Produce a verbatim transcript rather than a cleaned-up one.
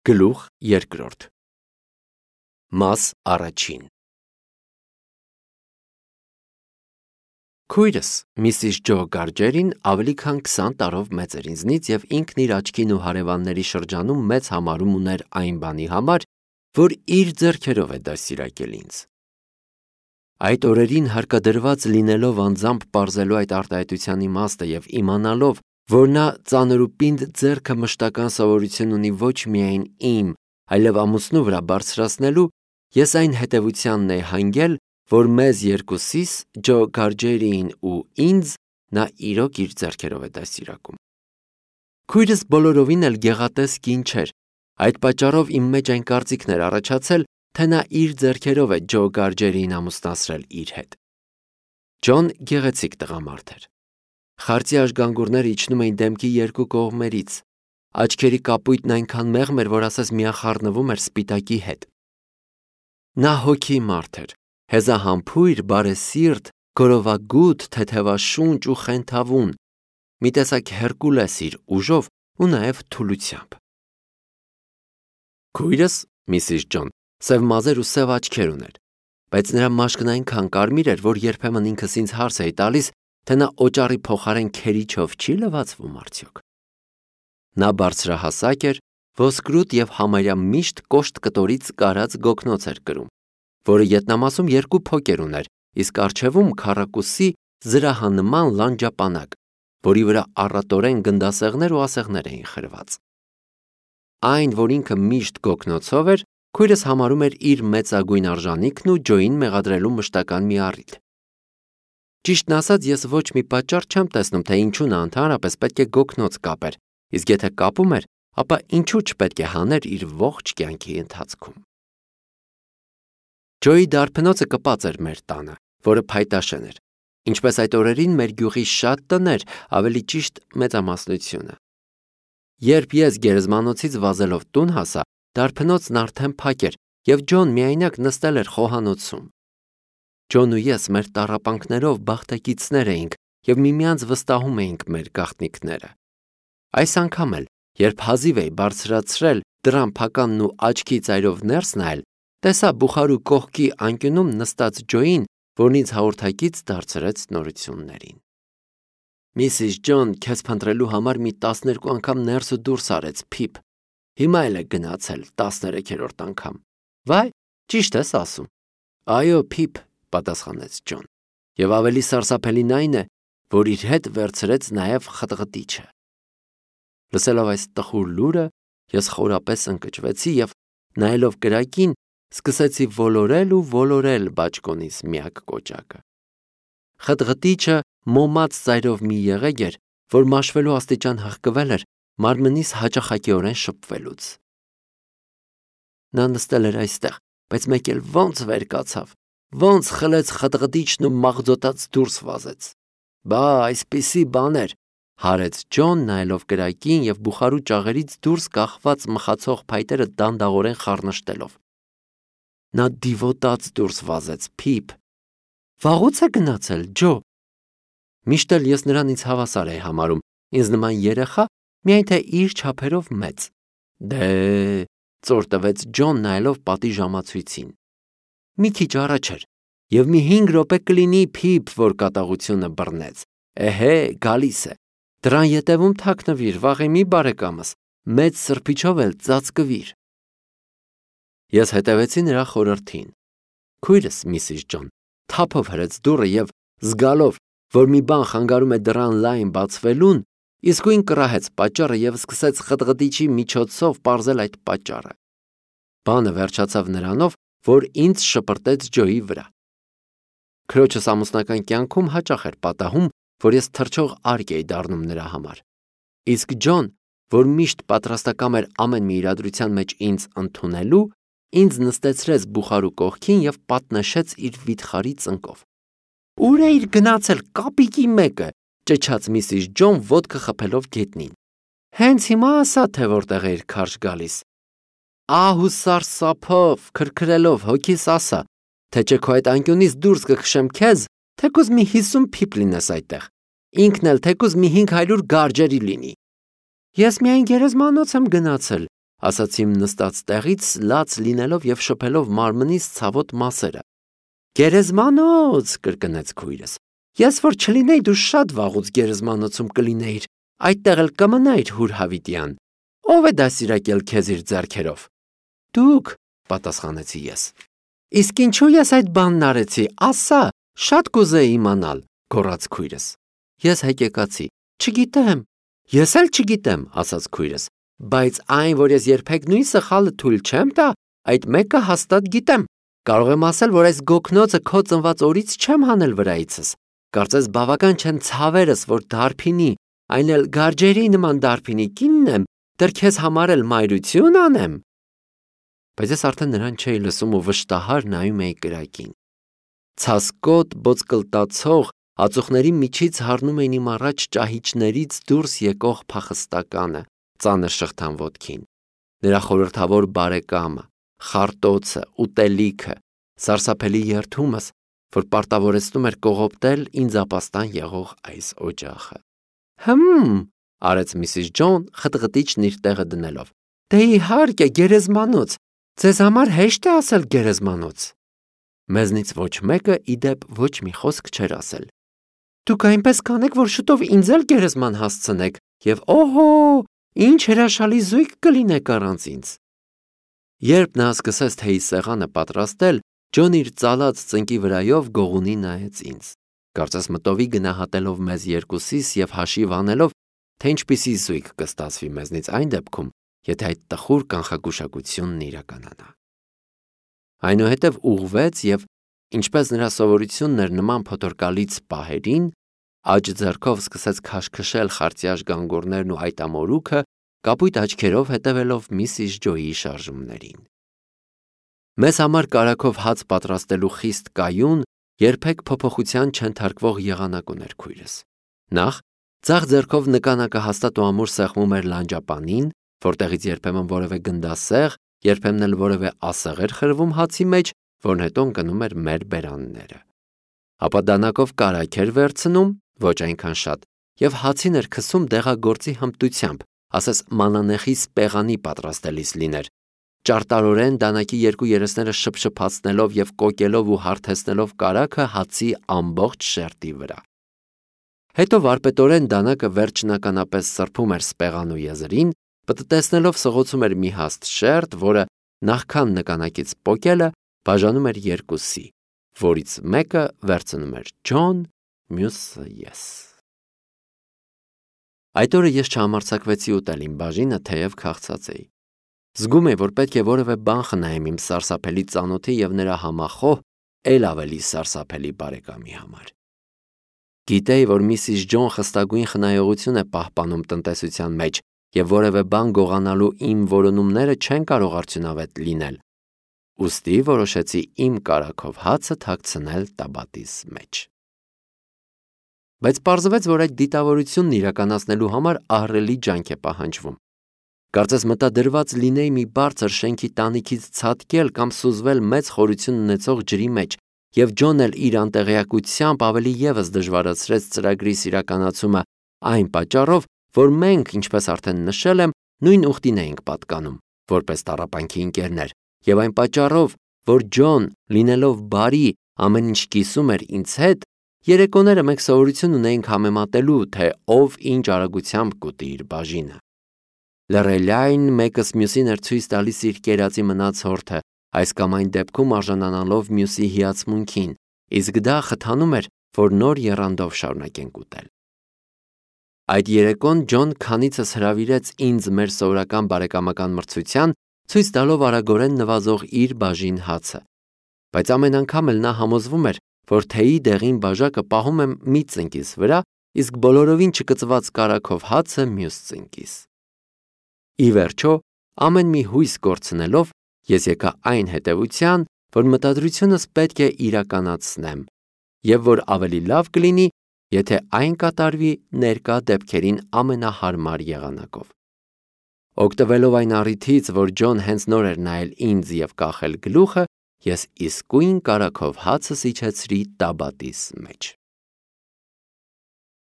Գլուխ երկրորդ Մաս առաջին Քույրս, Միսիս Ջո Գարջերին ավելի քան քսան տարով մեծ էր ինձնից և ինքն իր աչքին ու հարևանների շրջանում մեծ համարում ուներ այն բանի համար, որ իր ձեռքերով է դաստիարակել ինձ։ Այդ օրերին հարկադրված լինելով անձամբ պարզելու այդ արտահայտության իմաստը և իմանալով, որ նա ծանր ու պինդ ձեռքը մշտական սովորություն ունի ոչ միայն իմ, այլև ամուսնու վրա բարձրացնելու, ես այն հետևությանն էի հանգել, որ մեզ երկուսիս, Ջո Գարջերիին ու ինձ, նա իրոք իր ձեռքերով է դաստիարակում։ Քույրս բոլորովին էլ գեղատես կին չէր, այդ պատճառով իմ մեջ այն կարծիքն էր առաջացել, թե նա իր ձեռքերով է Ջո Գարջերիին ամուսնացրել իր հետ։ Ջոն գեղեցիկ տղամարդ էր։ Խարծի աշգանգուրները իջնում էին դեմքի երկու կողմերից, աչքերի կապույտն այնքան մեղմ էր, որ ասես միախառնվում էր սպիտակի հետ։ Նա հոգի մարդ էր, հեզահամբույր, բարեսիրտ, գորովագութ, թեթևաշունչ ու խենթավուն, մի տեսակ Հերկուլես իր ուժով ու նաև թուլությամբ։ Քույրս, Միսիս Ջոն, սև մազեր ու սև աչքեր ուներ, բայց նրա մաշկն այնքան կարմիր էր, որ երբեմն ինքս ինձ հարց էի տալիս, թե նա օճառի փոխարեն քերիչով չի լվացվում արդյոք։ Նա բարձրահասակ էր, ոսկրուտ և համարյա միշտ կոշտ կտորից կարած գոգնոց էր կրում, որը ետնամասում երկու փոկեր ուներ, իսկ առջևում քառակուսի զրահանման լանջապանակ, որի վրա առատորեն գնդասեղներ ու ասեղներ էին խրված։ Այն, որ ինքը միշտ գոգնոցով էր, քույրս համարում էր իր մեծագույն արժանիքն ու Ջոյին մեղադրելու մշտական մի առիթ։ Ճիշտն ասած, ես ոչ մի պատճառ չեմ տեսնում, թե ինչու նա ընդհանրապես պետք է գոգնոց կապեր, իսկ եթե կապում էր, ապա ինչու չպետք է հաներ իր ողջ կյանքի ընթացքում։ Ջոյի դարբնոցը կպած էր մեր տանը, որը փայտաշեն էր, ինչպես այդ օրերին մեր գյուղի շատ տներ, ավելի ճիշտ մեծամասնությունը։ Երբ ես գերեզմանոցից վազելով տուն հասա, դարբնոցն արդեն փակ էր, և Ջոն միայնակ նստել էր խոհանոցում։ Ջոն ու ես մեր տառապանքներով բախտակիցներ էինք և միմյանց վստահում էինք մեր գաղտնիքները։ Այս անգամ էլ, երբ հազիվ էի բարձրացրել դռան փականն ու աչքի ծայրով ներս նայել, տեսա բուխարու կողքի անկյունում նստած Ջոյին, որն ինձ հաղորդակից դարձրեց նորություններին։ Միսիս Ջոն քեզ փնտրելու համար մի տասներկու անգամ ներս ու դուրս արեց, Փիփ, հիմա էլ է գնացել տասներեքերորդ անգամ։ Վայ, ճիշտ ես ասում։ Այո, Փիփ, պատասխանեց Ջոն, և ավելի սարսափելին այն է, որ իր հետ վերցրեց նաև խտղտիչը։ Լսելով այս տխուր լուրը, ես խորապես ընկճվեցի և, նայելով կրակին, սկսեցի ոլորել ու ոլորել բաճկոնիս միակ կոճակը։ Խտղտիչը մոմած ծայրով մի եղեգ էր, որ մաշվելու աստիճան հղկվել էր մարմնիս հաճախակիորեն շփվելուց։ Նա նստել էր այստեղ, բայց մեկ էլ ոնց վեր կացավ, ոնց խլեց խտղտիչն ու մաղձոտած դուրս վազեց։ Բա, այսպիսի բաներ, հարեց Ջոն, նայելով կրակին և բուխարու ճաղերից դուրս կախված մխացող փայտերը դանդաղորեն խառնշտելով։ Նա դիվոտաց դուրս վազեց, Փիփ։ Վաղուց է գնացել, Ջո։ Միշտ էլ ես նրան ինձ հավասար էի համարում, ինձ նման երեխա, միայն թե իր չափերով մեծ։ Դե, ծոր տվեց Ջոն, նայելով պատի ժամացույցին։ Մի քիչ առաջ էր, և մի հինգ րոպե կլինի, Փիփ, որ կատաղությունը բռնեց։ Էհե, գալիս է։ Դռան ետևում թաքնվիր, վաղեմի բարեկամս, մեծ սրբիչով էլ ծածկվիր։ Ես հետևեցի նրա խորհրդին։ Քույրս, Միսիս Ջոն, թափով հրեց դուռը և, զգալով, որ մի բան խանգարում է դռան լայն բացվելուն, իսկույն կռահեց պատճառը և սկսեց խտղտիչի միջոցով պարզել այդ պատճառը։ Բանը վերջացավ նրանով, որ ինձ շպրտեց Ջոյի վրա։ Քրոջս ամուսնական կյանքում հաճախ էր պատահում, որ ես թռչող արկ էի դառնում նրա համար։ Իսկ Ջոն, որ միշտ պատրաստակամ էր ամեն մի իրադրության մեջ ինձ ընդունելու, ինձ նստեցրեց բուխարու կողքին և պատնեշեց իր վիթխարի ծնկով։ Ուր էիր գնացել, կապիկի մեկը, ճչաց Միսիս Ջոն ոտքը խփելով գետնին։ Հենց հիմա ասա, թե որտեղ էիր քարշ գալիս։ Ահ ու սարսափով, քրքրելով հոգիս ասա, թե չէ քո այդ անկյունից դուրս կքշեմ քեզ, թեկուզ մի հիսուն Փիփ լինես այդտեղ, ինքն էլ թեկուզ մի հինգ հարյուր Գարջերի լինի։ Ես միայն գերեզմանոց եմ գնացել, ասացի իմ նստած տեղից լաց լինելով եւ շփելով մարմնից ցավոտ մասերը։ Գերեզմանոց, կրկնեց քույրս։ Ես որ չլինեի, դու շատ վաղուց գերեզմանոցում կլինեիր, այդտեղ էլ կմնայիր հուր Հավիտյան։ Ո՞վ է դասիրակել քեզ իր ձեռքերով։ Դուք, պատասխանեցի ես։ Իսկ ինչու ես այդ բանն արեցի, ասա, շատ կուզեի իմանալ, գոռաց քույրս։ Ես հեկեկացի։ Չգիտեմ։ Ես էլ չգիտեմ, ասաց քույրս, բայց այն, որ ես երբեք նույն սխալը թույլ չեմ տա, այդ մեկը հաստատ գիտեմ։ Կարող եմ ասել, որ այս գոքնոցը քո ծնված օրից չեմ հանել վրայիցս։ Կարծես բավական չեն ցավերս, որ դարբինի, այն էլ գարջերի նման դարբինի կինն եմ, դեռ քեզ համար էլ մայրություն անեմ։ Բայց ես արդեն նրան չէի լսում ու վշտահար նայում էի կրակին։ Ցասկոտ բոցկլտացող ածուխների միջից հառնում էին իմ առաջ ճահիճներից դուրս եկող փախստականը, ծանր շղթան ոտքին։ Նրա խորհրդավոր բարեկամը, խարտոցը, ուտելիքը, սարսափելի երդումս, որ պարտավորեցնում էր կողոպտել ինձ ապաստան եղող այս օջախը։ Հմ, արեց միսիս Ջոն խտղտիչն իր տեղը դնելով։ Դե իհարկե գերեզմանոց, ձեզ համար հեշտ է ասել գերեզմանոց։ Մեզնից ոչ մեկը իդեպ ոչ մի խոսք չէր ասել։ Դուք այնպես կանեք, որ շուտով ինձ էլ գերեզման հասցնեք, եւ օհո, ինչ հրաշալի զույգ կլինեք առանց ինձ։ Երբ նա սկսեց թեյի սեղանը պատրաստել, Ջոնը իր ծալած ծնկի վրայով գողունի նայեց ինձ, կարծես մտովի գնահատելով մեզ երկուսիս եւ հաշիվ անելով, թե ինչպիսի զույգ կստացվի մեզնից այն դեպքում, եթե այդ տխուր կանխագուշակությունն իրականանա։ Այնուհետև ուղղվեց եւ, ինչպես նրա սովորությունն էր նման փոթորկալից պահերին, աջ ձեռքով սկսեց քաշքշել խարտյաշ գանգորներն ու այդ ամորուքը, կապույտ աչքերով հետևելով միսիս Ջոյի շարժումներին։ Մեզ համար կարագով հաց պատրաստելու խիստ կայուն, երբեք փոփոխության չընթարկվող եղանակ ուներ քույրս։ Նախ ձախ ձեռքով նկանակը հաստատ ու ամուր սեղմում էր լանջապանին, որտեղից երբեմն որևէ գնդասեղ, երբեմն էլ որևէ ասեղ էր խրվում հացի մեջ, որն հետո ընկնում էր մեր բերանները։ Ապա դանակով կարագ էր վերցնում, ոչ այնքան շատ, եւ հացին էր քսում դեղագործի հմտությամբ, ասես մանանեխի սպեղանի պատրաստելիս լիներ, ճարտարորեն դանակի երկու երեսները շփշփացնելով եւ կոկելով ու հարթեցնելով կարագը հացի ամբողջ շերտի վրա։ Հետո վարպետորեն դանակը վերջնականապես սրբում էր սպեղանու եզրին, պտտեցնելով սղոցում էր մի հաստ շերտ, որը նախքան նկանակից պոկելը բաժանում էր երկուսի, որից մեկը վերցնում էր Ջոն, մյուսը ես։ Այդ օրը ես չհամարձակվեցի ուտել իմ բաժինը, թեև քաղցած էի։ Զգում էի, որ պետք է որևէ բան խնայեմ իմ սարսափելի ծանոթի եւ նրա համախոհ, ել ավելի սարսափելի բարեկամի համար։ Գիտեի, որ միսիս Ջոն խստագույն խնայողություն է պահպանում տնտեսության մեջ եւ որևէ բան գողանալու իմ որոնումները չեն կարող արդյունավետ լինել։ Ուստի որոշեցի իմ կարագով հացը թաքցնել տաբատիս մեջ։ Բայց պարզվեց, որ այդ դիտավորությունն իրականացնելու համար ահռելի ջանք է պահանջվում։ Կարծես մտադրված լինեի մի բարձր շենքի տանիքից ցատկել կամ սուզվել մեծ խորություն ունեցող ջրի մեջ, եւ Ջոնն էլ իր անտեղյակությամբ ավելի եւս դժվարացրեց ծրագրի իրականացումը այն պատճառով, որ մենք, ինչպես արդեն նշել եմ, նույն ուխտին էինք պատկանում, որպես տառապանքի ընկերներ, եւ այն պատճառով, որ Ջոն, լինելով բարի, ամեն ինչ կիսում էր ինձ հետ, երեկոները մենք սովորություն ունեինք համեմատելու, թե ով ինչ արագությամբ կուտի իր բաժինը։ Լռելյայն մեկս մյուսին էր ցույց տալիս իր կերածի մնացորդը, այս կամ այն դեպքում արժանանալով մյուսի հիացմունքին, իսկ դա խթանում էր, որ նոր եռանդով շարունակենք ուտել։ Այդ երեկոն Ջոն քանիցս հրավիրեց ինձ մեր սովորական բարեկամական մրցության, ցույց տալով արագորեն նվազող իր բաժին հացը։ Բայց ամեն անգամ էլ նա համոզվում էր, որ թեյի դեղին բաժակը պահում եմ մի ծնկիս վրա, իսկ բոլորովին չկծված կարագով հացը մյուս ծնկիս։ Ի վերջո, ամեն մի հույս կորցնելով, ես եկա այն հետևության, որ մտադրությունս պետք է իրականացնեմ, եւ որ ավելի լավ կլինի, եթե այն կատարվի ներկա դեպքերին ամենահարմար եղանակով։ Օգտվելով այն առիթից, որ Ջոն հենց նոր էր նայել ինձ եւ կախել գլուխը, ես իսկույն կարագով հացս իջեցրի տաբատիս մեջ։